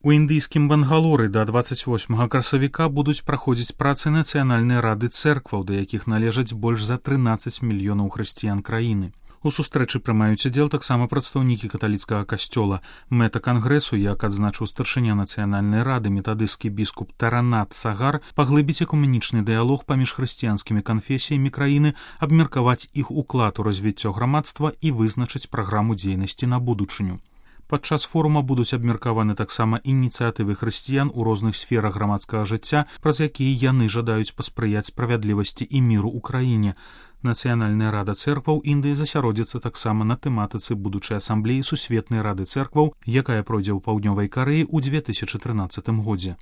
У індыйскім Бангалоры да 28 красавіка будуць праходзіць працы нацыянальнай рады цэркваў, да якіх належаць больш за 13 мільёнаў хрысціян краіны. У сустрэчы прымаюць удзел таксама прадстаўнікі каталіцкага касцёла. Мэта кангрэсу, як адзначыў старшыня нацыянальнай рады метадысцкі біскуп Таранат Сагар, паглыбіць экуменічны дыялог паміж хрысціянскімі канфесіямі краіны, абмеркаваць іх уклад у развіццё грамадства і вызначыць праграму дзейнасці на будучыню. Падчас форума будуць абмеркаваны таксама ініцыятывы хрысціян у розных сферах грамадскага жыцця, праз якія яны жадаюць паспрыяць справядлівасці і міру ў краіне. Нацыянальная рада цэркваў Індыі засяродзіцца таксама на тэматыцы будучай асамблеі Сусветнай рады цэркваў, якая пройдзе ў Паўднёвай Карэі ў 2013 годзе.